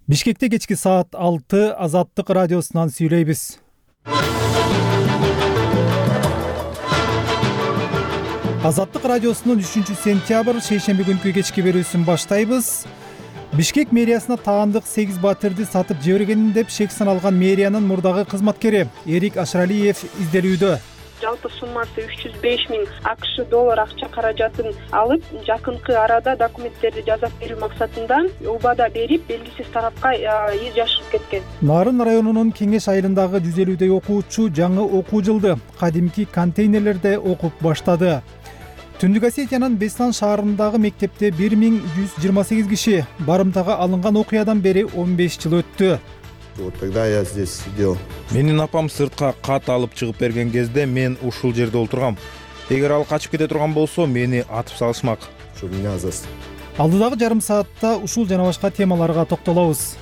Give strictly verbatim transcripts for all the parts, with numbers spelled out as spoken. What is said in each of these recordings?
Бишкекте кечки саат алты Азаттык радиосунан сүйлөйбүз. Азаттык радиосунун үчүнчү сентябрь шейшемби күнкү кечки берүүсүн баштайбыз. Бишкек мэриясына таандык сегиз батирди сатып жибергенин деп шек саналган мэриянын мурдагы кызматкери Эрик Ашыралиев изделүүдө. Жалпы суммасы үч жүз беш миң АКШ доллар акча каражатын алып, жакынкы арада документтерди жасап берүү максатында убада берип, белгисиз тарапка из жашырып кеткен. Нарын районунун Кеңеш айылындагы жүз элүүдөй окуучу жаңы окуу жылды кадимки контейнерлерде окуп баштады. Түндүк Осетиянын Бестан шаарындагы мектепте бир миң жүз жыйырма сегиз киши барымтага алынган окуядан бери он беш жыл өттү. Вот тогда я здесь сидел. Менин апам сыртка кат алып чыгып берген кезде мен ушул жерде олтургам. Эгер ал качып кете турган болсо, мени атып салышмак. Чтобы меня зас. Алдыдагы жарым саатта ушул жана башка темаларга токтолобуз.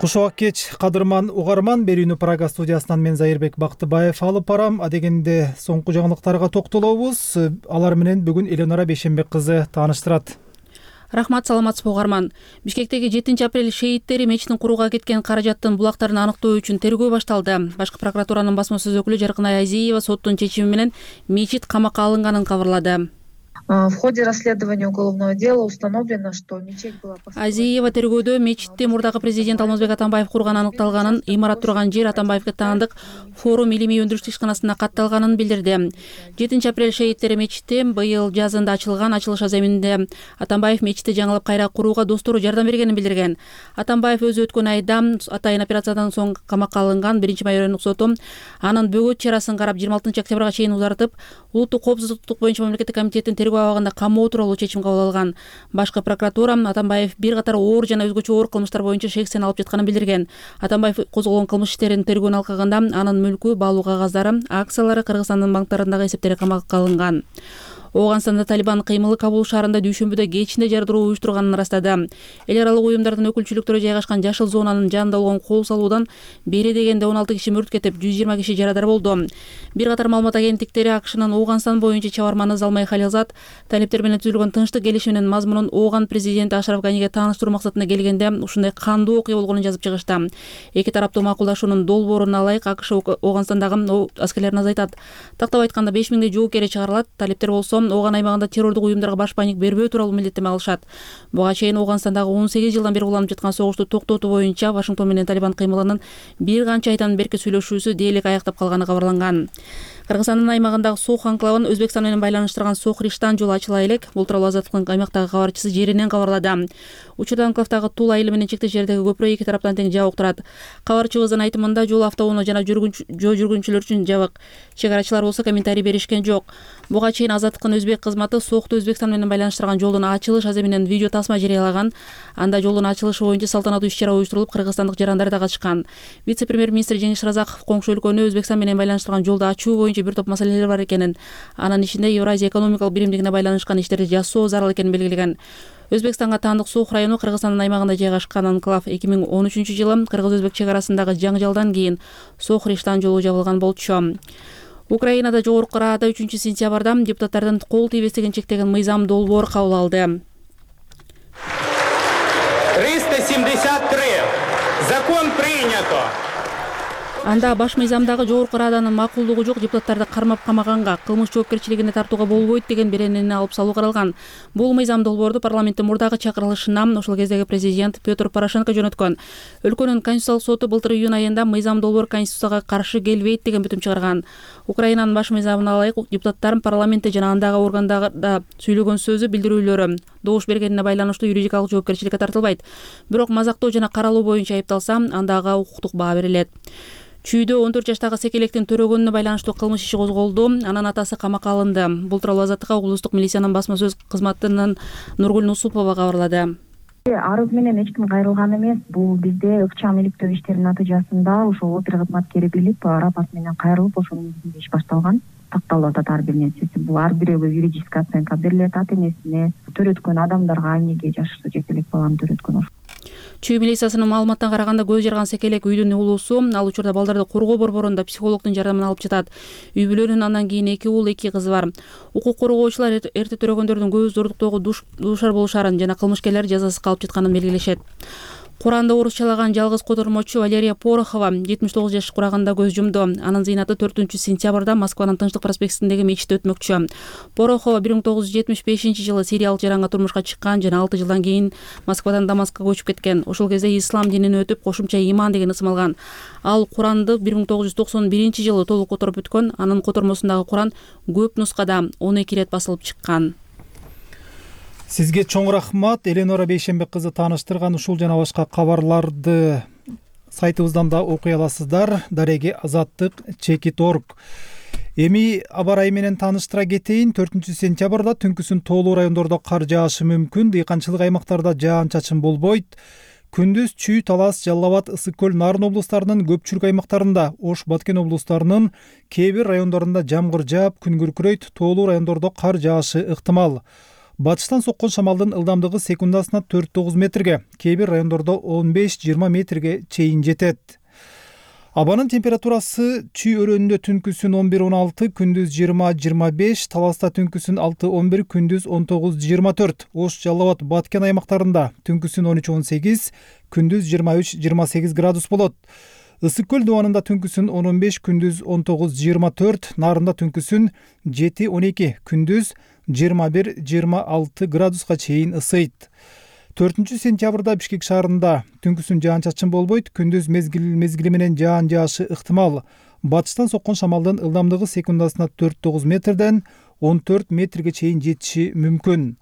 Куш убак кеч, кадырман угарман, берүүнү Прага студиясынан мен Зайырбек Бактыбаев алып барам. Адегенде соңку жаңылыктарга токтолобуз. Алар менен бүгүн Эленора Бейшенбек кызы тааныштырат. Рахмат, саламатсызбы угарман. Бишкектеги жетинчи апрель шейиттери мечитин курууга кеткен каражаттын булактарын аныктоо үчүн тергөө башталды. Башкы прокуратуранын басма сөз өкүлү Жаркынай Азиева соттун чечими менен мечит камакка алынганын кабарлады. В ходе расследования уголовного дела установлено, что мечеть была... Азиева тергөөдө мечитти мурдагы президент Алмазбек Атамбаев курган аныкталганын, имарат турган жер Атамбаевге таандык форум илимий өндүрүштүк ишканасына катталганын билдирди. жетинчи апрель шейиттери мечити быйыл жазында ачылган. Ачылыш аземинде Атамбаев мечитти жаңылап кайра курууга достору жардам бергенин билдирген. Атамбаев өзү өткөн айда атайын операциядан соң камакка алынган. биринчи май райондук соту анын бөгөт чарасын карап жыйырма алтынчы октябрга чейин узартып, улуттук коопсуздук боюнча мамлекеттик комитеттин тергөө абагында камоо тууралуу чечим кабыл алган. Башкы прокуратура Атамбаев бир катар оор жана өзгөчө оор кылмыштар боюнча шексен алып жатканын билдирген. Атамбаев козголгон кылмыш иштеринин тергөөнүн алкагында анын мүлкү, баалуу кагаздары, акциялары Кыргызстандын банктарындагы эсептери камакка алынган. Ооганстанда Талибан кыймылы Кабул шаарында дүйшөмбүдө кечинде жардыруу уюштурганын ырастады. Эл аралык уюмдардын өкүлчүлүктөрү жайгашкан жашыл зонанын жанында болгон кол салуудан бери дегенде он алты киши мүрт кетип, жүз жыйырма киши жарадар болду. Бир катар маалымат агенттиктери АКШнын Ооганстан боюнча чабарманы Залмай Халилзат талептер менен түзүлгөн тынчтык келишиминин мазмунун Ооган президенти Ашраф Ганиге тааныштыруу максатында келгенде ушундай кандуу окуя болгонун жазып чыгышты. Эки тараптуу макулдашуунун долбооруна ылайык АКШ Ооганстандагы аскерлерин азайтат. Тактап айтканда беш миңдей жоокери чыгарылат. Талептер болсо Ооган аймагында террордук уюмдарга баш паник бербөө тууралуу милдеттеме алышат. Буга чейин Ооганстандагы он сегиз жылдан бери уланып жаткан согушту токтотуу боюнча Вашингтон менен Талибан кыймылынын бир канча айдан берки сүйлөшүүсү дээрлик аяктап калганы кабарланган. Кыргызстандын аймагындагы Сох анклавын Өзбекстан менен байланыштырган Сох-Риштан жолу ачыла элек. Бул тууралуу Азаттыктын аймактагы кабарчысы жеринен кабарлады. Учурда анклавдагы Тула айылы менен чектеш жердеги көпүрө эки тараптан тең жабык турат. Кабарчыбыздын айтымында жол автоунаа жана жүргүнчү жол жүргүнчүлөр үчүн жабык. Чек арачылар болсо комментарий беришкен жок. Буга чейин Азаттыктын өзбек кызматы Сохту Өзбекстан менен байланыштырган жолдун ачылыш аземинен видео тасма жарыялаган. Анда жолдун ачылышы боюнча салтанаттуу иш-чара уюштурулуп, кыргызстандык жарандар да катышкан. Вице-премьер-министр Жеңиш Разаков коңшу өлкөнү Өзбекстан менен байланыштырган жолду ачуу боюнча бир топ маселелер бар экенин, анын ичинде Евразия экономикалык биримдигине байланышкан иштерди жасоо зарыл экенин белгилеген. Өзбекстанга таандык Сох району Кыргызстандын аймагында жайгашкан анклав эки миң он үчүнчү жылы кыргыз-өзбек чек арасындагы жаңжалдан кийин Сох-Риштан жолу жабылган болчу. Украинада жогорку Раада үчүнчү сентябрда депутаттардын кол тийбестигин чектеген мыйзам долбоор кабыл алды. триста семьдесят три. Закон принято. Анда баш мыйзамдагы жогорку Рааданын макулдугу жок депутаттарды кармап камаганга, кылмыш жоопкерчилигине тартууга болбойт деген беренени алып салуу каралган. Бул мыйзам долбоорду парламенттин мурдагы чакырылышынан ошол кездеги президент Петр Порошенко жөнөткөн. Өлкөнүн конституциялык соту былтыр июнь айында мыйзам долбоор конституцияга каршы келбейт деген бүтүм чыгарган. Украинанын баш мыйзамына ылайык депутаттар парламентте жана андагы органдарда сүйлөгөн сөзү, билдирүүлөрү, добуш бергенине байланыштуу юридикалык жоопкерчиликке тартылбайт. Бирок мазактоо жана каралуу боюнча айыпталса, андага укуктук баа берилет. Чүйдө он төрт жаштагы секелектин төрөгөнүнө байланыштуу кылмыш иши козголду. Анын атасы камакка алынды. Бул тууралуу Азаттыкка облустук милициянын басма сөз кызматынын Нургүл Нусупова кабарлады. Арыз менен эч ким кайрылган эмес. Бул бизде ыкчам иликтөө иштеринин натыйжасында ошол опер кызматкери билип, рапорт менен кайрылып, ошонун негизинде иш башталган. Такталып атат ар бир нерсеси. Бул ар бирөөгө юридическая оценка берилет, ата энесине, төрөткөн адамдарга, эмнеге жашы жети элек баланы төрөткөн. Чүй милициясынын маалыматына караганда көз жарган секелек үйдүн уулусу ал учурда балдарды коргоо борборунда психологдун жардамын алып жатат. Үй бүлөнүн андан кийин эки уул, эки кызы бар. Укук коргоочулар эрте төрөгөндөрдүн көбү зордуктоого дуушар болушарын жана кылмышкерлер жазасыз калып жатканын белгилешет. Куранды орусчалаган жалгыз котормочу Валерия Порохова жетимиш тогуз жаш кураганда көз жумду. Анын зыйнаты төртүнчү сентябрда Москванын Тынчтык проспектисиндеги мечитте өтмөкчү. Порохова бир миң тогуз жүз жетимиш бешинчи жылы сириялык жаранга турмушка чыккан жана алты жылдан кийин Москвадан Дамаскка көчүп кеткен. Ошол кезде ислам динин өтүп, кошумча иман деген ысым алган. Ал Куранды бир миң тогуз жүз токсон биринчи жылы толук которуп бүткөн. Анын котормосундагы Куран көп нускада он эки ирет басылып чыккан. Сизге чоң рахмат. Эленора Бейшенбек кызы тааныштырган ушул жана башка кабарларды сайтыбыздан да окуй аласыздар. Дареги азаттык чекит точка орг. Эми аба ырайы менен тааныштыра кетейин. төртүнчү сентябрда түнкүсүн тоолуу райондордо кар жаашы мүмкүн. Дыйканчылык аймактарда жаан-чачын болбойт. Күндүз Чүй, Талас, Жалал Абад, Ысык көл, Нарын облустарынын көпчүлүк аймактарында, Ош, Баткен облустарынын кээ бир райондорунда жамгыр жаап, күн күркүрөйт. Тоолуу райондордо кар жаашы ыктымал. Батыштан соккон шамалдын ылдамдыгы секундасына төрт тогуз метрге, кээ бир райондордо он беш жыйырма метрге чейин жетет. Абанын температурасы Чүй өрөөнүндө түнкүсүн он бир он алты, күндүз жыйырма жыйырма беш, Таласта түнкүсүн алты он бир, күндүз он тогуз жыйырма төрт, Ош, Жалал Абад, Баткен аймактарында түнкүсүн он үч он сегиз, күндүз жыйырма үч жыйырма сегиз градус болот. Ысык көл дубанында түнкүсүн он он беш, күндүз он тогуз жыйырма төрт, Нарында түнкүсүн жети он эки, күндүз жыйырма бир жыйырма алты градуска чейин ысыйт. төртүнчү сентябрда Бишкек шаарында түнкүсүн жаан-чачын болбойт, күндүз мезгил мезгили менен жаан жаашы ыктымал. Батыштан соккон шамалдын ылдамдыгы секундасына төрт тогуз метрден он төрт метрге чейин жетиши мүмкүн.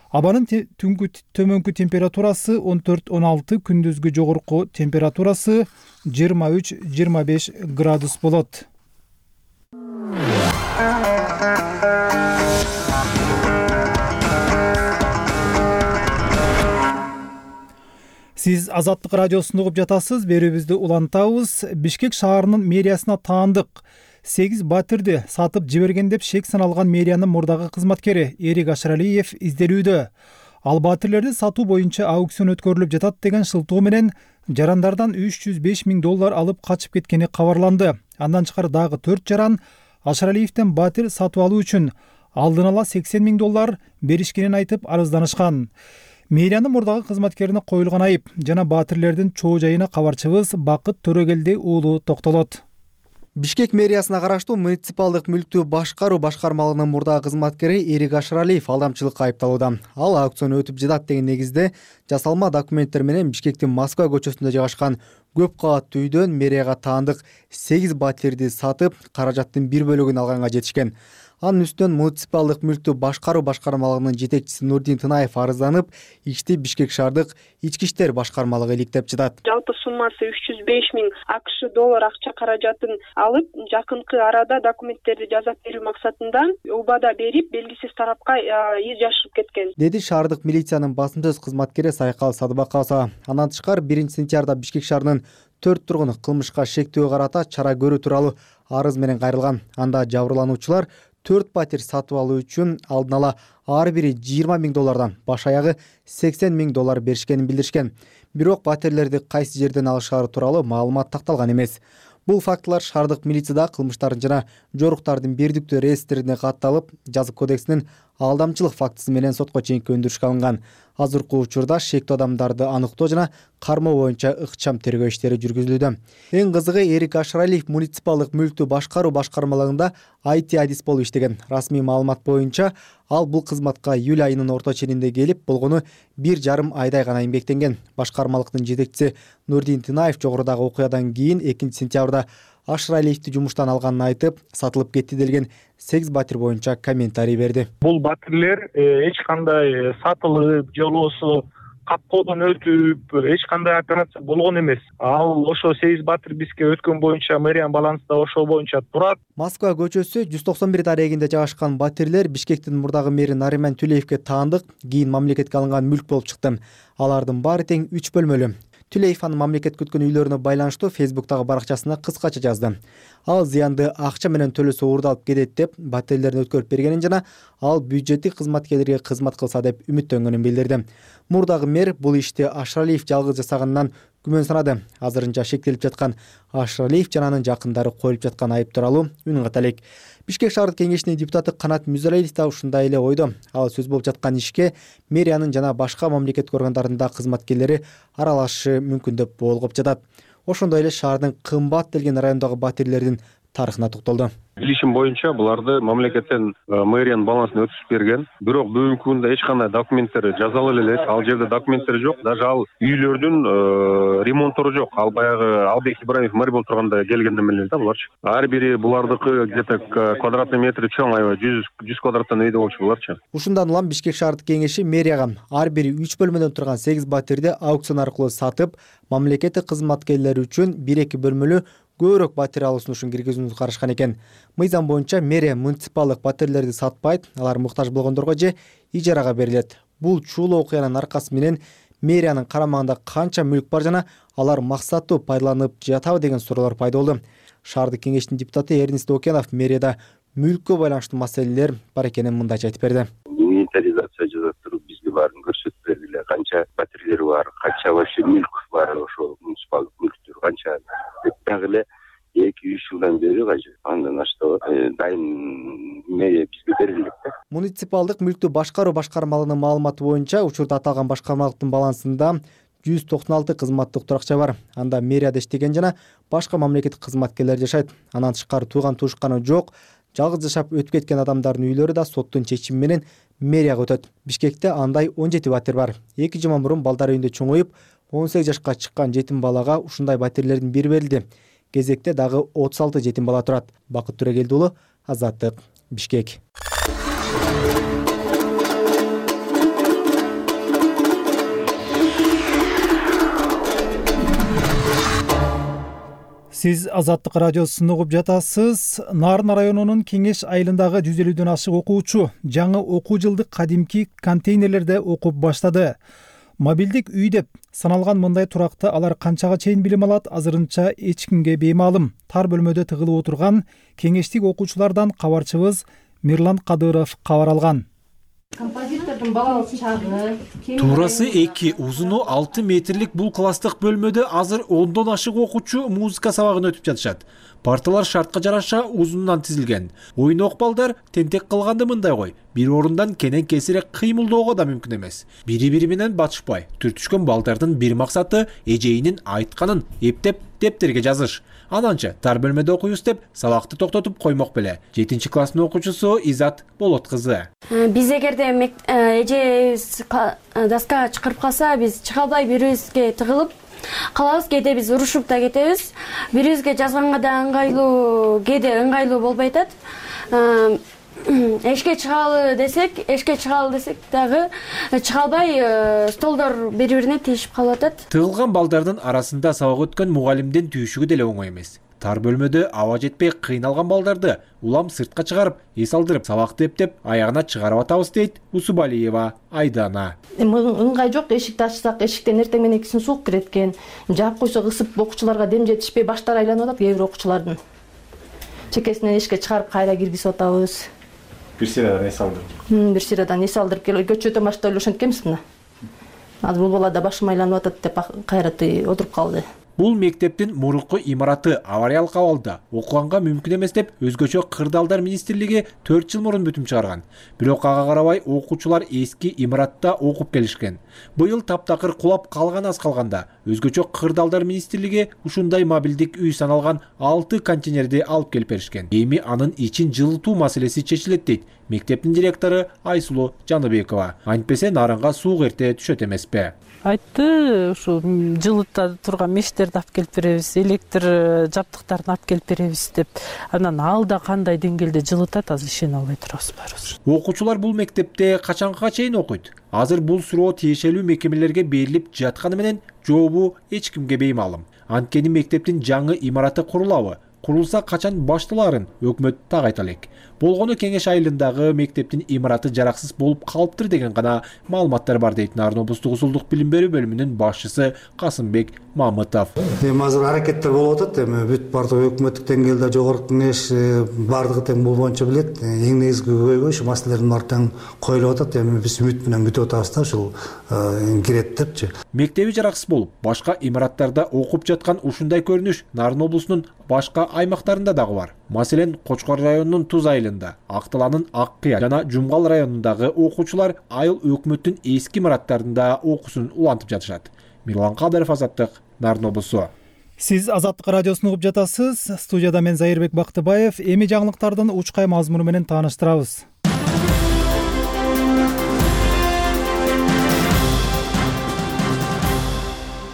Абанын түнгү төмөнкү температурасы он төрт он алты, күндүзгү жогорку температурасы жыйырма үч жыйырма беш градус болот. Сиз Азаттык радиосун угуп жатасыз. Берүүбүздү улантабыз. Бишкек шаарынын мэриясына таандык сегиз батирди сатып жиберген деп шек саналган мэриянын мурдагы кызматкери Эрик Ашыралиев изделүүдө. Ал батирлерди сатуу боюнча аукцион өткөрүлүп жатат деген шылтоо менен жарандардан үч жүз беш миң доллар алып качып кеткени кабарланды. Андан тышкары дагы төрт жаран Ашыралиевден батир сатып алуу үчүн алдын ала сексен миң доллар беришкенин айтып арызданышкан. Мэриянын мурдагы кызматкерине коюлган айып жана батирлердин чоо жайына кабарчыбыз Бакыт Төрөгелди уулу токтолот. Бишкек мэриясына караштуу муниципалдык мүлктү башкаруу башкармалыгынын мурдагы кызматкери Эрик Ашыралиев алдамчылыкка айыпталууда. Ал аукцион өтүп жатат деген негизде жасалма документтер менен Бишкектин Москва көчөсүндө жайгашкан көп кабаттуу үйдөн мэрияга таандык сегиз батирди сатып, каражаттын бир бөлүгүн алганга жетишкен. Анын үстүнөн муниципалдык мүлктү башкаруу башкармалыгынын жетекчиси Нурдин Тынаев арызданып, ишти Бишкек шаардык ички иштер башкармалыгы иликтеп жатат. Жалпы суммасы үч жүз беш миң акш доллар акча каражатын алып, жакынкы арада документтерди жазап берүү максатында убада берип, белгисиз тарапка из жашырып кеткен, деди шаардык милициянын басым сөз кызматкери Сайкал Садыбакова. Андан тышкары биринчи сентябрда Бишкек шаарынын төрт тургуну кылмышка шектөө карата чара көрүү тууралуу арыз менен кайрылган. Анда жабырлануучулар төрт батир сатып алуу үчүн алдын ала ар бири жыйырма миң доллардан баш аягы сексен миң доллар беришкенин билдиришкен. Бирок батирлерди кайсы жерден алышары тууралуу маалымат такталган эмес. Бул фактылар шаардык милицияда кылмыштардын жана жоруктардын бердиктүү реестрине катталып, жазык кодексинин алдамчылык фактысы менен сотко чейинки өндүрүшкө алынган. Азыркы учурда шектүү адамдарды аныктоо жана кармоо боюнча ыкчам тергөө иштери жүргүзүлүүдө. Эң кызыгы, Эрик Ашыралиев муниципалдык мүлктү башкаруу башкармалыгында ай ти адис болуп иштеген. Расмий маалымат боюнча ал бул кызматка июль айынын орто ченинде келип, болгону бир жарым айдай гана эмгектенген. Башкармалыктын жетекчиси Нурдин Тынаев жогорудагы окуядан кийин экинчи сентябрда Ашыралиевди жумуштан алганын айтып, сатылып кетти делген сегиз батир боюнча комментарий берди. Бул батирлер эч кандай сатылып, же болбосо капкоодон өтүп, эч кандай операция болгон эмес. Ал ошо сегиз батир бизге өткөн боюнча мэриянын балансында ошол боюнча турат. Москва көчөсү жүз токсон бир дарегинде жайгашкан батирлер Бишкектин мурдагы мэри Нариман Түлеевге таандык, кийин мамлекетке алынган мүлк болуп чыкты. Алардын баары тең үч бөлмөлүү. Түлеев анын мамлекет күткөн үйлөрүнө байланыштуу Фейсбуктагы баракчасына кыскача жазды. Ал зыянды акча менен төлөсө уурдалып кетет деп батирлерин өткөрүп бергенин жана ал бюджеттик кызматкерлерге кызмат кылса деп үмүттөнгөнүн билдирди. Мурдагы мэр бул ишти Ашыралиев жалгыз жасаганынан күмөн санады. Азырынча шектелип жаткан Ашыралиев жана анын жакындары коюлуп жаткан айып тууралуу үн ката элек. Бишкек шаардык кеңешинин депутаты Канат Мүзалиев да ушундай эле ойдо. Ал сөз болуп жаткан ишке мэриянын жана башка мамлекеттик органдарында кызматкерлери аралашышы мүмкүн деп болгоп жатат. Ошондой эле шаардын кымбат делген райондогу батирлердин тарыхына токтолду. Билишим боюнча буларды мамлекеттен мэриянын балансына өткүзүп берген. Бирок бүгүнкү күндө эч кандай документтер жазылып элек. Ал жерде документтер жок. Даже ал үйлөрдүн ремонттору жок. Ал баягы Албек Ибраимов мэр болуп турганда келгенден эле да буларчы. Ар бири булардыкы где-то квадратный метри чоң, аябай жүз квадраттан үйдө болчу буларчы. Ушундан улам Бишкек шаардык кеңеши мэрияга ар бири үч бөлмөдөн турган сегиз батирди аукцион аркылуу сатып, мамлекеттик кызматкерлер үчүн бир эки бөлмөлүү көбүрөөк батир алуу сунушун киргизүүнү карашкан экен. Мыйзам боюнча мэрия муниципалдык батирлерди сатпайт, алар муктаж болгондорго же ижарага берилет. Бул чуулуу окуянын аркасы менен мэриянын карамагында канча мүлк бар жана алар максаттуу пайдаланып жатабы деген суроолор пайда болду. Шаардык кеңештин депутаты Эрнест Окенов мэрияда мүлккө байланыштуу маселелер бар экенин мындайча айтып берди. Инвентаризация жасап туруп бизге баарын көрсөтүп бергиле. Канча батирлер бар, канча вообще мүлк бар, ошо муниципалдык мүлктөр канча дагы эле эки үч жылдан бери кажы андан ашты дайым мэрия бизге берилет да. Муниципалдык мүлктү башкаруу башкармалыгынын маалыматы боюнча учурда аталган башкармалыктын балансында жүз токсон алты кызматтык туракча бар. Анда мэрияда иштеген жана башка мамлекеттик кызматкерлер жашайт. Андан тышкары тууган туушканы жок, жалгыз жашап өтүп кеткен адамдардын үйлөрү да соттун чечими менен мэрияга өтөт. Бишкекте андай он жети батир бар. эки жыл мурун балдар үйүндө чоңоюп, он сегиз жашка чыккан жетим балага ушундай батирлердин бири берилди. Кезекте дагы отуз алты жетим бала турат. Бакыт Төрөгелди уулу, Азаттык, Бишкек. Сиз Азаттык радиосун угуп жатасыз. Нарын районунун Кеңеш айылындагы жүз элүүдөн ашык окуучу жаңы окуу жылдык кадимки контейнерлерде окуп баштады. Мобилдик үй деп саналган мындай туракта алар канчага чейин билим алат, азырынча эч кимге беймаалым. Тар бөлмөдө тыгылып отурган кеңештик окуучулардан кабарчыбыз Мирлан Кадыров кабар алган. Композитордун балалык чагы. Туурасы эки, узуну алты метрлик бул класстык бөлмөдө азыр ондон ашык окуучу музыка сабагын өтүп жатышат. Парталар шартка жараша узундан тизилген. Ойнок балдар тентек кылганды мындай кой. Бир орундан кенен кесирээк кыймылдоого да мүмкүн эмес. Бири-бири менен батышпай, түртүшкөн балдардын бир максаты эжейинин айтканын эптеп дептерге жазыш. Ананча тар бөлмөдө окуйбуз деп сабакты токтотуп коймок беле. жетинчи класстын окуучусу Изат Болот кызы. Биз эгерде эжебиз доскага чакырып калса, биз чыга албай бирибизге тыгылып калабыз. Кээде биз урушуп да кетебиз. Бирибизге жазганга да ыңгайлуу, кээде ыңгайлуу болбой атат. Эшикке чыгалы десек, эшикке чыгалы десек дагы чыга албай, столдор бири-бирине тийишип калып атат. Тыгылган балдардын арасында сабак өткөн мугалимдин түйүшүгү деле оңой эмес. Тар бөлмөдө аба жетпей кыйналган балдарды улам сыртка чыгарып, эс алдырып, сабакты эптеп, аягына чыгарып атабыз дейт Усубалиева Айдана. Ыңгай жок, эшикти ачсак, эшиктен эртең менен кийин суук кирет экен. Жаап койсок ысып окуучуларга дем жетишпей баштары айланып атат, кээ бир окуучулардын. Чекесинен эшикке чыгарып кайра киргизип атабыз. Бир сырадан эс алдырып. Бир сырадан эс алдырып келип көчөдөн баштап эле ошентип келебиз мына. Азыр бул бала да башым айланып атат деп кайра отуруп калды. Бул мектептин мурунку имараты авариялык абалда, окуганга мүмкүн эмес деп өзгөчө Кырдаалдар министрлиги төрт жыл мурун бүтүм чыгарган. Бирок ага карабай окуучулар эски имаратта окуп келишкен. Быйыл таптакыр кулап калган аз калганда өзгөчө Кырдаалдар министрлиги ушундай мобилдик үй саналган алты контейнерди алып келип беришкен. Эми анын ичин жылытуу маселеси чечилет дейт мектептин директору Айсулуу Жаныбекова. Антпесе нарынга суу эрте түшөт эмеспи? Айтты, ушу жылыта турган мештерди алып келип беребиз, электр жабдыктарын алып келип беребиз деп. Анан алда кандай деңгээлде жылытат, азыр ишене албай турабыз баарыбыз. Окуучулар бул мектепте качанга чейин окуйт? Азыр бул суроо тиешелүү мекемелерге берилип жатканы менен жообу эч кимге беймаалым. Анткени мектептин жаңы имараты курулабы, курулса качан башталаарын өкмөт так айта элек. Болгону Кеңеш айылындагы мектептин имараты жараксыз болуп калыптыр деген гана маалыматтар бар дейт Нарын облустук узулдук билим берүү бөлүмүнүн башчысы Касымбек Мамытов. Эми азыр аракеттер болуп атат. Эми бүт бардык өкмөттүк деңгээлде жогорку кеңеш бардыгы тең бул боюнча билет. Эң негизги көйгөй ушу маселелердин баары тең коюлуп атат. Эми биз үмүт менен күтүп атабыз да ушул кирет депчи. Мектеби жараксыз болуп, башка имараттарда окуп жаткан ушундай көрүнүш Нарын облусунун башка аймактарында дагы бар. Маселен, Кочкор районунун Туз айылында, Акталанын Ак Кыя жана Жумгал районундагы окуучулар айыл өкмөттүн эски имараттарында окуусун улантып жатышат. Мирлан Кадыров, Азаттык, Нарын облусу. Сиз Азаттык радиосун угуп жатасыз. Студияда мен Зайырбек Бактыбаев. Эми жаңылыктардын учкай мазмуну менен тааныштырабыз.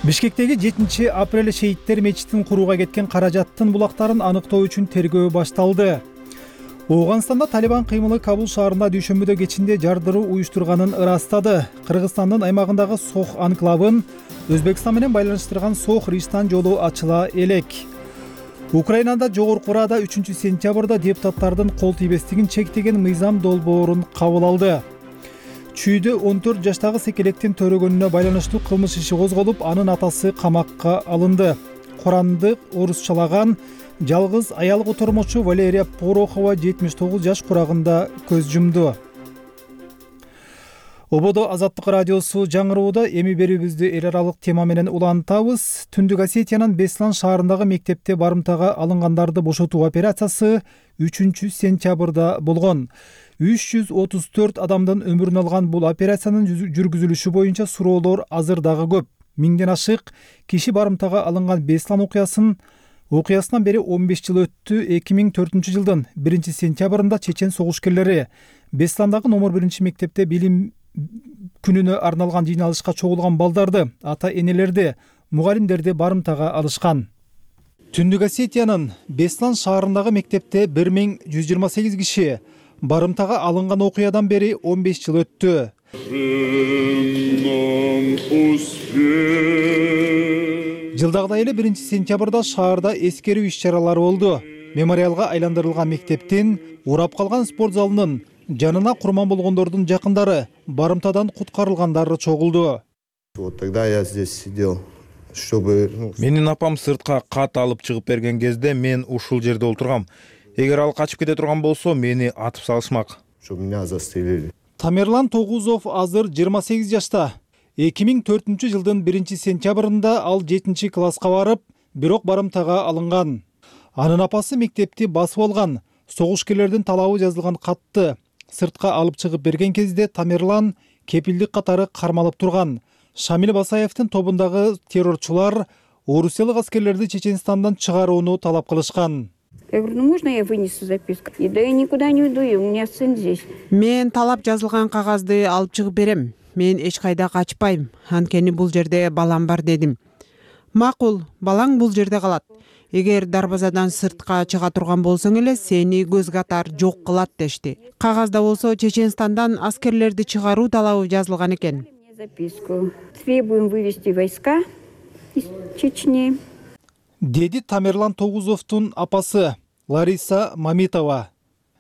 Бишкектеги жетинчи апрель шейиттер мечитин курууга кеткен каражаттын булактарын аныктоо үчүн тергөө башталды. Ооганстанда Талибан кыймылы Кабул шаарында дүйшөмбүдө кечинде жардыруу уюштурганын ырастады. Кыргызстандын аймагындагы Сох анклавын Өзбекстан менен байланыштырган Сох Риштан жолу ачыла элек. Украинада жогорку Рада үчүнчү сентябрда депутаттардын кол тийбестигин чектеген мыйзам долбоорун кабыл алды. Чүйдө он төрт жаштагы секелектин төрөгөнүнө байланыштуу кылмыш иши козголуп, анын атасы камакка алынды. Куранды орусчалаган жалгыз аял котормочу Валерия Порохова жетимиш тогуз жаш курагында көз жумду. Ободо Азаттык радиосу жаңырууда. Эми берүүбүздү эл аралык тема менен улантабыз. Түндүк Осетиянын Беслан шаарындагы мектепте барымтага алынгандарды бошотуу операциясы үчүнчү сентябрда болгон. үч жүз отуз төрт адамдын өмүрүн алган бул операциянын жүргүзүлүшү боюнча суроолор азыр дагы көп. Миңден ашык киши барымтага алынган Беслан окуясын окуясынан бери он беш жыл өттү. эки миң төртүнчү жылдын биринчи сентябрында чечен согушкерлери Бесландагы номер биринчи мектепте билим күнүнө арналган жыйналышка чогулган балдарды, ата энелерди, мугалимдерди барымтага алышкан. Түндүк Осетиянын Беслан шаарындагы мектепте бир миң жүз жыйырма сегиз киши барымтага алынган окуядан бери он беш жыл өттү. Жылдагыдай эле биринчи сентябрда шаарда эскерүү иш-чаралары болду. Мемориалга айландырылган мектептин урап калган спорт залынын жанына курман болгондордун жакындары, барымтадан куткарылгандары чогулду. Вот тогда я здесь сидел, чтобы... Менин апам сыртка кат алып чыгып берген кезде мен ушул жерде отургам. Эгер ал качып кете турган болсо, мени атып салышмак. Чтобы меня застрелили. Тамерлан Тогузов азыр жыйырма сегиз жашта. эки миң төртүнчү жылдын биринчи сентябрында ал жетинчи класска барып, бирок барымтага алынган. Анын апасы мектепти басып алган, согушкерлердин талабы жазылган катты сыртка алып чыгып берген кезде Тамерлан кепилдик катары кармалып турган. Шамил Басаевдин тобундагы террорчулар орусиялык аскерлерди Чеченстандан чыгарууну талап кылышкан. Я говорю, ну можно я вынесу записку? И да я никуда не уйду, у меня сын здесь. Мен талап жазылган кагазды алып чыгып берем. Мен эч кайда качпайм. Анткени бул жерде балам бар дедим. Макул, балаң бул жерде калат. Эгер дарбазадан сыртка чыга турган болсоң эле сени көз катар жок кылат дешти. Кагазда болсо Чеченстандан аскерлерди чыгаруу талабы жазылган экен. Записку. Требуем вывести войска из Чечни. Деди Тамерлан Тогузовдун апасы Лариса Мамитова.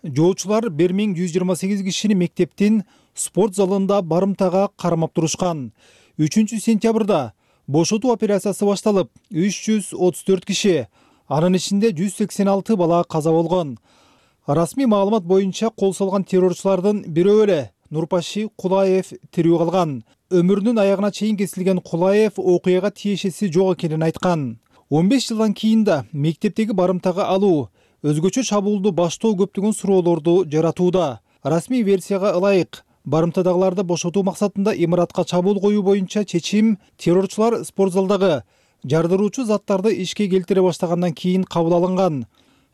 Жоочулар бир миң жүз жыйырма сегиз кишини мектептин спорт залында барымтага кармап турушкан. үчүнчү сентябрда бошотуу операциясы башталып, үч жүз отуз төрт киши, анын ичинде жүз сексен алты бала каза болгон. Расмий маалымат боюнча кол салган террорчулардын бирөө эле Нурпаши Кулаев тирүү калган. Өмүрүнүн аягына чейин кесилген Кулаев окуяга тиешеси жок экенин айткан. он беш жылдан кийин да мектептеги барымтага алуу, өзгөчө чабуулду баштоо көптөгөн суроолорду жаратууда. Расмий версияга ылайык, барымтадагыларды бошотуу максатында имаратка чабуул коюу боюнча чечим террорчулар спортзалдагы жардыруучу заттарды ишке келтире баштагандан кийин кабыл алынган.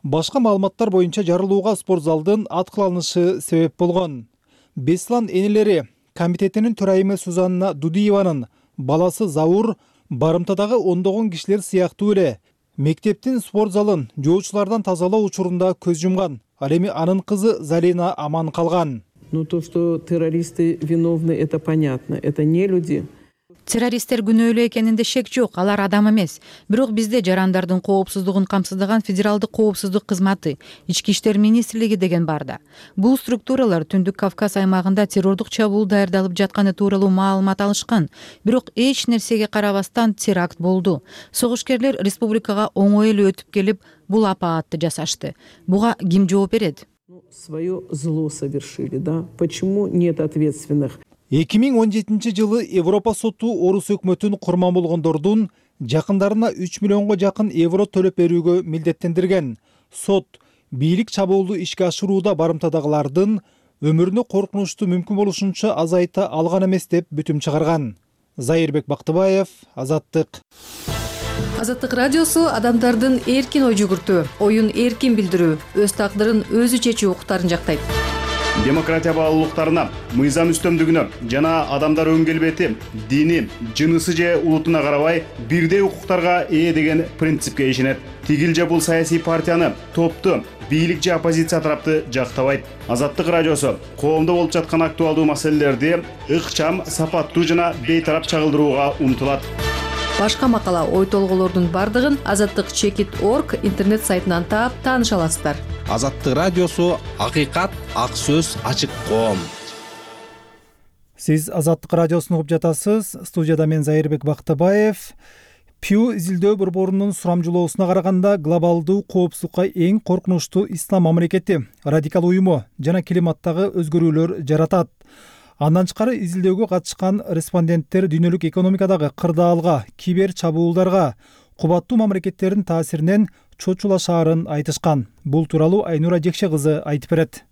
Башка маалыматтар боюнча жарылууга спортзалдын аткыланышы себеп болгон. Беслан энелери комитетинин төрайымы Сузанна Дудиеванын баласы Заур барымтадагы ондогон кишилер сыяктуу эле мектептин спорт залын жоочулардан тазалоо учурунда көз жумган. Ал эми анын кызы Залина аман калган. Ну то, что террористы виновны, это понятно. Это не люди. Террористтер күнөөлүү экенинде шек жок, алар адам эмес. Бирок бизде жарандардын коопсуздугун камсыздаган Федералдык коопсуздук кызматы, Ички иштер министрлиги деген бар да. Бул структуралар Түндүк Кавказ аймагында террордук чабуул даярдалып жатканы тууралуу маалымат алышкан. Бирок эч нерсеге карабастан теракт болду. Согушкерлер республикага оңой эле өтүп келип, бул апаатты жасашты. Буга ким жооп берет? Свое зло совершили, да? Почему нет ответственных? эки миң он жетинчи жылы Европа соту орус өкмөтүн курман болгондордун жакындарына үч миллионго жакын евро төлөп берүүгө милдеттендирген. Сот бийлик чабуулду ишке ашырууда барымтадагылардын өмүрүнө коркунучту мүмкүн болушунча азайта алган эмес деп бүтүм чыгарган. Зайырбек Бактыбаев, Азаттык. Азаттык радиосу адамдардын эркин ой жүгүртүү, оюн эркин билдирүү, өз тагдырын өзү чечүү укуктарын жактайт. Демократия баалуулуктарына, мыйзам үстөмдүгүнө жана адамдар өн келбети, дини, жынысы же улутуна карабай бирдей укуктарга ээ деген принципке ишенет. Тигил же бул саясий партияны, топту, бийлик же оппозиция тарапты жактабайт. Азаттык радиосу коомдо болуп жаткан актуалдуу маселелерди ыкчам, сапаттуу жана бейтарап чагылдырууга умтулат. Башка макала, ой толголордун бардыгын азаттык чекит точка орг интернет сайтынан таап тааныша аласыздар. Азаттык радиосу акыйкат, ак сөз, ачык коом. Сиз Азаттык радиосун угуп жатасыз. Студияда мен Зайырбек Бактыбаев. Пью изилдөө борборунун сурамжылоосуна караганда глобалдуу коопсуздукка эң коркунучтуу ислам мамлекети, радикал уюму жана климаттагы өзгөрүүлөр жаратат. Андан тышкары изилдөөгө катышкан респонденттер дүйнөлүк экономикадагы кырдаалга, кибер чабуулдарга, кубаттуу мамлекеттердин таасиринен чочулашаарын айтышкан. Бул тууралуу Айнура Жекше кызы айтып берет.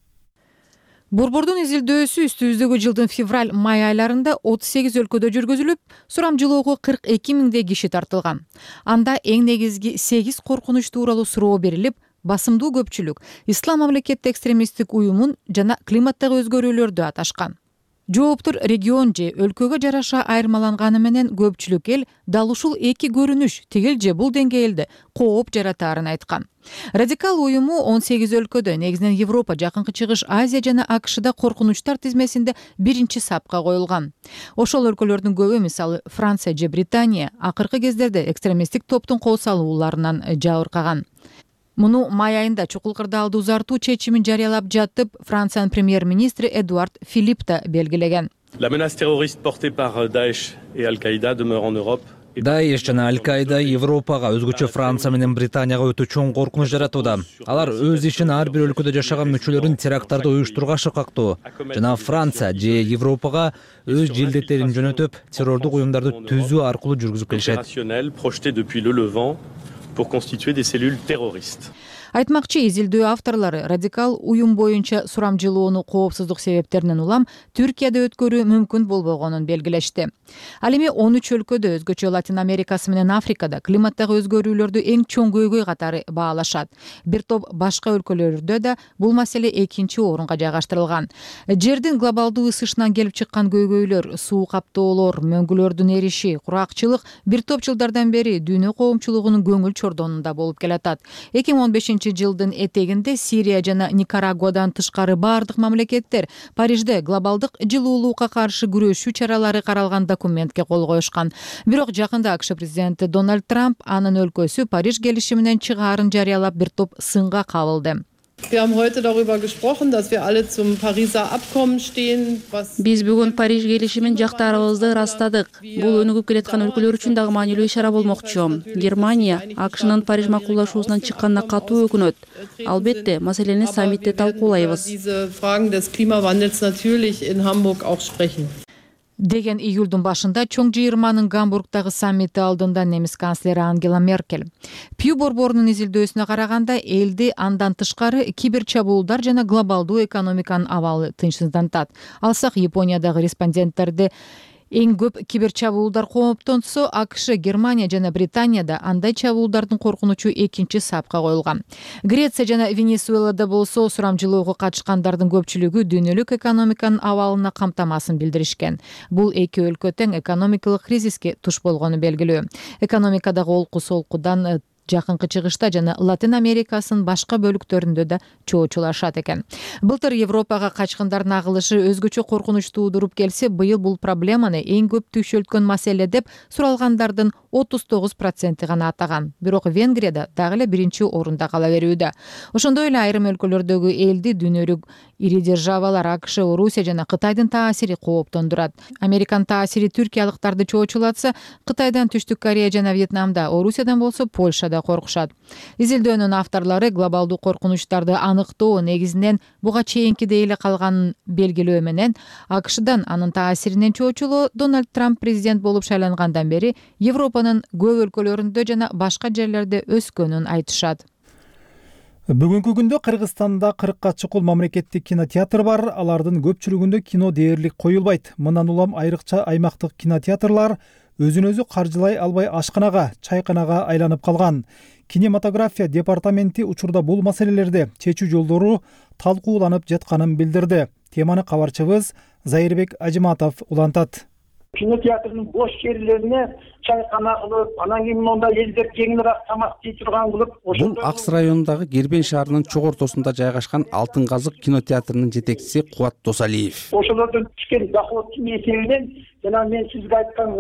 Борбордун изилдөөсү үстүбүздөгү жылдын февраль-май айларында отуз сегиз өлкөдө жүргүзүлүп, сурамжылоого кырк эки миңдей киши тартылган. Анда эң негизги сегиз коркунуч тууралуу суроо берилип, басымдуу көпчүлүк ислам мамлекети экстремисттик уюмун жана климаттагы өзгөрүүлөрдү аташкан. Жооптор регион же өлкөгө жараша айырмаланганы менен көпчүлүк эл дал ушул эки көрүнүш тигил же бул деңгээлде кооп жаратаарын айткан. Радикал уюму он сегиз өлкөдө, негизинен Европа, Жакынкы Чыгыш, Азия жана АКШда коркунучтар тизмесинде биринчи сапка коюлган. Ошол өлкөлөрдүн көбү, мисалы Франция же Британия, акыркы кездерде экстремисттик топтун кол салууларынан жабыркаган. Муну май айында чукул кырдаалды узартуу чечимин жарыялап жатып, Франциянын премьер-министри Эдуард Филипп да белгилеген. La menace terroriste portée par Daesh et Al-Qaïda demeure en Europe. Даиш жана Аль-Каида Европага, өзгөчө Франция менен Британияга өтө чоң коркунуч жаратууда. Алар өз ишин ар бир өлкөдө жашаган мүчөлөрүн теракттарды уюштурууга шыкактоо. Жана Франция же Европага өз желдеттерин жөнөтүп, террордук уюмдарды түзүү аркылуу жүргүзүп келишет. Pour constituer des cellules terroristes. Айтмакчы, изилдөө авторлору радикал уюм боюнча сурамжылоону коопсуздук себептеринен улам Түркияда өткөрүү мүмкүн болбогонун белгилешти. Ал эми он үч өлкөдө, өзгөчө Латин Америкасы менен Африкада климаттагы өзгөрүүлөрдү эң чоң көйгөй катары баалашат. Бир топ башка өлкөлөрдө да бул маселе экинчи орунга жайгаштырылган. Жердин глобалдуу ысышынан келип чыккан көйгөйлөр, суу каптоолор, мөңгүлөрдүн эриши, куракчылык бир топ жылдардан бери дүйнө коомчулугунун көңүл чордонунда болуп келатат. эки миң он бешинчи жылдын этегинде Сирия жана Никарагуадан тышкары бардык мамлекеттер Парижде глобалдык жылуулукка каршы күрөшүү чаралары каралган документке кол коюшкан. Бирок жакында АКШ президенти Дональд Трамп анын өлкөсү Париж келишиминен чыгаарын жарыялап бир топ сынга кабылды. Wir haben heute darüber gesprochen, dass wir alle zum Pariser Abkommen stehen. Биз бүгүн Париж келишимин жактаарыбызды ырастадык. Бул өнүгүп келаткан өлкөлөр үчүн дагы маанилүү ишара болмокчу. Германия АКШнын Париж макулдашуусунан чыкканына катуу өкүнөт. Албетте, маселени саммитте талкуулайбыз. Diese Fragen des Klimawandels natürlich in Hamburg auch sprechen. Деген июлдун башында чоң жыйырманын Гамбургдагы саммити алдында немис канцлери Ангела Меркель. Пью борборунун изилдөөсүнө караганда, элди андан тышкары кибер чабуулдар жана глобалдуу экономиканын абалы тынчсыздантат. Алсак, Япониядагы респонденттерди эң көп кибер чабуулдар кооптонсо, АКШ, Германия жана Британияда андай чабуулдардын коркунучу экинчи сапка коюлган. Греция жана Венесуэлада болсо сурамжылоого катышкандардын көпчүлүгү дүйнөлүк экономиканын абалына камтамасын билдиришкен. Бул эки өлкө тең экономикалык кризиске туш болгону белгилүү. Экономикадагы олку солкудан Жакынкы чыгышта жана Латин Америкасынын башка бөлүктөрүндө да чоочулашат экен. Былтыр Европага качкындардын агылышы өзгөчө коркунуч туудуруп келсе, быйыл бул проблеманы эң көп түйшөлткөн маселе деп суралгандардын отуз тогуз проценти гана атаган. Бирок Венгрияда дагы эле биринчи орунда кала берүүдө. Ошондой эле айрым өлкөлөрдөгү элди дүнөлүк ири державалар АКШ, Орусия жана Кытайдын таасири кооптондурат. Американын таасири түркиялыктарды чоочулатса, Кытайдан Түштүк Корея жана Вьетнамда, Орусиядан болсо Польшада коркушат. Изилдөөнүн авторлору глобалдуу коркунучтарды аныктоо негизинен буга чейинкидей эле калганын белгилөө менен АКШдан анын таасиринен чоочулоо Дональд Трамп президент болуп шайлангандан бери Европанын көп өлкөлөрүндө жана башка жерлерде өскөнүн айтышат. Бүгүнкү күндө Кыргызстанда кыркка чукул мамлекеттик кинотеатр бар. Алардын көпчүлүгүндө кино дээрлик коюлбайт. Мындан улам айрыкча аймактык кинотеатрлар өзүн өзү каржылай албай ашканага, чайканага айланып калган. Кинематография департаменти учурда бул маселелерди чечүү жолдору талкууланып жатканын билдирди. Теманы кабарчыбыз Зайырбек Ажиматов улантат. Кинотеатрдын бош жерлерине чайкана кылып, анан кийин монда элдер жеңилирээк тамак жей турган кылып, бул Акс районундагы Кербен шаарынын чок ортосунда жайгашкан Алтын казык кинотеатрынын жетекчиси Кубат Досалиев. Ошолордон түшкөн доходтун эсебинен жана мен сизге айткан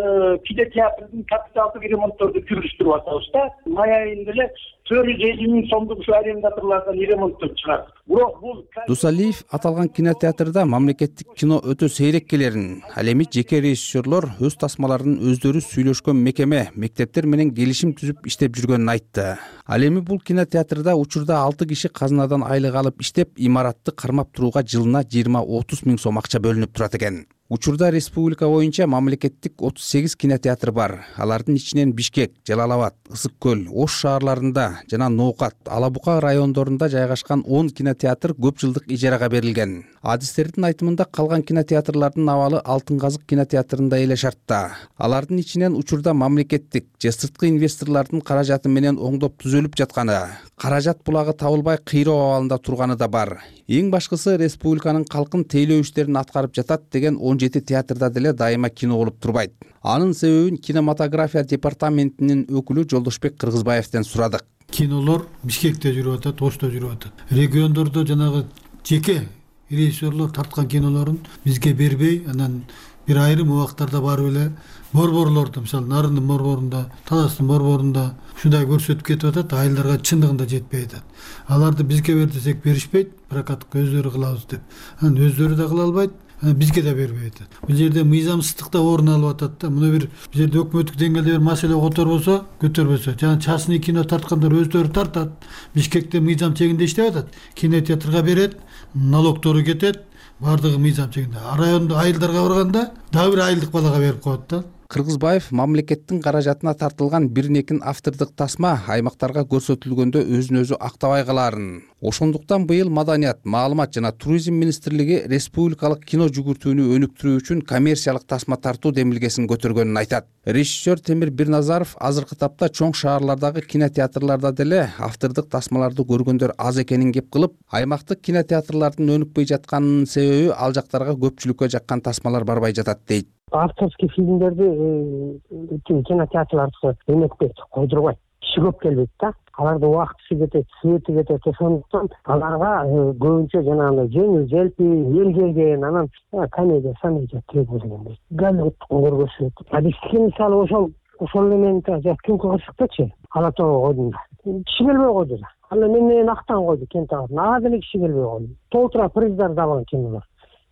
кинотеатрдын капиталдык ремонтторду жүргүзтүрүп атабыз да. Май айында эле төрт жүз элүү миң сомдук ушу арендаторлордон ремонттоп чыгат. Бирок бул Досалиев аталган кинотеатрда мамлекеттик кино өтө сейрек келерин, ал эми жеке режиссерлор өз тасмаларын өздөрү сүйлөшкөн мекеме, мектептер менен келишим түзүп иштеп жүргөнүн айтты. Ал эми бул кинотеатрда учурда алты киши казынадан айлык алып иштеп, имаратты кармап турууга жылына жыйырма отуз миң сом акча бөлүнүп турат экен. Учурда республика боюнча мамлекеттик отуз сегиз кинотеатр бар. Алардын ичинен Бишкек, Жалал Абад, Ысык көл, Ош шаарларында жана Ноокат, Ала Бука райондорунда жайгашкан он кинотеатр көп жылдык ижарага берилген. Адистердин айтымында калган кинотеатрлардын абалы Алтын казык кинотеатрында эле шартта. Алардын ичинен учурда мамлекеттик же сырткы инвесторлордун каражаты менен оңдоп түзөлүп жатканы, каражат булагы табылбай кыйроо абалында турганы да бар. Эң башкысы республиканын калкын тейлөө иштерин аткарып жатат деген он жети театрда деле дайыма кино болуп турбайт. Анын себебин кинематография департаментинин өкүлү Жолдошбек Кыргызбаевден сурадык. Кинолор Бишкекте жүрүп атат, Ошто жүрүп атат. Региондордо жанагы жеке режиссерлор тарткан кинолорун бизге бербей, анан бир айрым убактарда барып эле борборлорду, мисалы Нарындын борборунда, Таластын борборунда ушундай көрсөтүп кетип атат, айылдарга чындыгында жетпей атат. Аларды бизге бер десек беришпейт, прокатка өздөрү кылабыз деп. Анан өздөрү да кыла албайт, бизге да бербей атат. Бул жерде мыйзамсыздык да орун алып атат да. Муну бир бул жерде өкмөттүк деңгээлде бир маселе которбосо, көтөрбөсө, жана частный кино тарткандар өздөрү тартат. Бишкекте мыйзам чегинде иштеп атат. Кинотеатрга берет, налогтору кетет, бардыгы мыйзам чегинде. Райондо айылдарга барганда дагы бир айылдык балага берип коет да. Кыргызбаев мамлекеттин каражатына тартылган бир-экин автордук тасма аймактарга көрсөтүлгөндө өзүн өзү актабай каларын. Ошондуктан быйыл Маданият, Маалымат жана Туризм министрлиги республикалык кино жүгүртүүнү өнүктүрүү үчүн коммерциялык тасма тартуу демилгесин көтөргөнүн айтат. Режиссер Темир Бирназаров азыркы тапта чоң шаарлардагы кинотеатрларда деле автордук тасмаларды көргөндөр аз экенин кеп кылып, аймактык кинотеатрлардын өнүкпөй жатканынын себеби ал жактарга көпчүлүккө жаккан тасмалар барбай жатат дейт. Авторский фильмдерди кинотеатрларда өнөкпөй койдурбайт. Киши көп келбейт да. Алардын убактысы кетет, свети кетет. Ошондуктан аларга көбүнчө жанагындай жеңил желпи, эл келген, анан комедия, комедия керек болгондой. Голливудтук көргөзүлөт. А бизге мисалы ошол ошол менен түнкү кырсыктачы Ала Тоо койдум. Киши келбей койду да. Ал мен менен актан койду Кентау. Ага деле киши келбей койду. Толтура приздар дагы кинолор.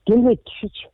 Келбейт кишичи.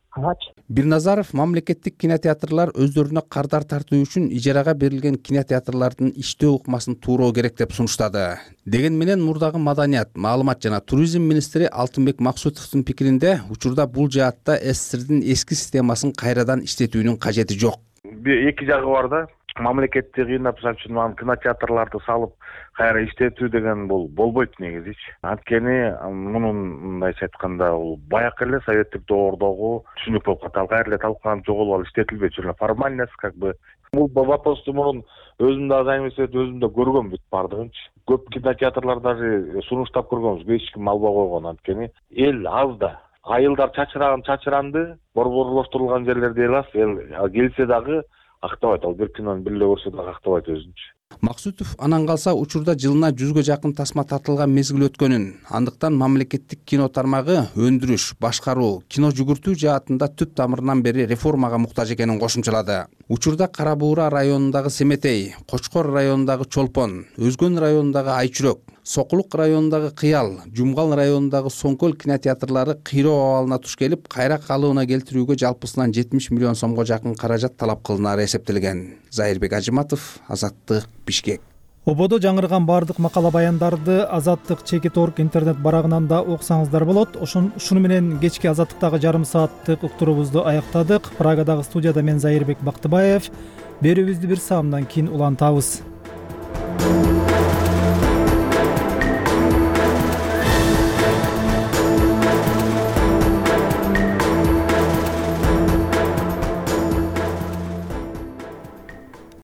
Бирназаров мамлекеттик кинотеатрлар өздөрүнө кардар тартуу үчүн ижарага берилген кинотеатрлардын иштөө ыкмасын тууроо керек деп сунуштады. Деген менен мурдагы Маданият, Маалымат жана Туризм министри Алтынбек Максутовдун пикиринде учурда бул жаатта СССРдин эски системасын кайрадан иштетүүнүн кажети жок. Эки жагы бар да. Мамлекетти кыйнап үчүн кинотеатрларды салып кайра иштетүү деген бул болбойт негизичи. Анткени мунун мындайча айтканда бул баякы эле советтик доордогу түшүнүк болуп калат. Кайра эле талкууланып жоголуп алып иштетилбей жүргөн формальность как бы. Бул вопросту мурун өзүм да займестет өзүм да көргөм бүт бардыгынчы. Көп кинотеатрлар даже сунуштап көргөнбүз, эч ким албай койгон. Анткени эл аз да. Айылдар чачыраган чачыранды, борборлоштурулган жерлерде эл аз. Эл келсе дагы актабайт. Ал бир кинону бир эле көрсө дагы актабайт өзүнчө. Максутов анан калса учурда жылына жүзгө жакын тасма тартылган мезгил өткөнүн, андыктан мамлекеттик кино тармагы өндүрүш, башкаруу, кино жүгүртүү жаатында түп тамырынан бери реформага муктаж экенин кошумчалады. Учурда Кара Буура районундагы Семетей, Кочкор районундагы Чолпон, Өзгөн районундагы Айчүрөк, Сокулук районундагы Кыял, Жумгал районундагы Соңкөл кинотеатрлары кыйроо абалына туш келип, кайра калыбына келтирүүгө жалпысынан жетимиш миллион сомго жакын каражат талап кылынары эсептелген. Зайырбек Ажыматов, Азаттык, Бишкек. Ободо жаңырган бардык макала баяндарды Азаттык чекит орг интернет барагынан да окусаңыздар болот. Ушуну менен кечки Азаттыктагы жарым сааттык уктуруубузду аяктадык. Прагадагы студияда мен Зайырбек Бактыбаев. Берүүбүздү бир саамдан кийин улантабыз.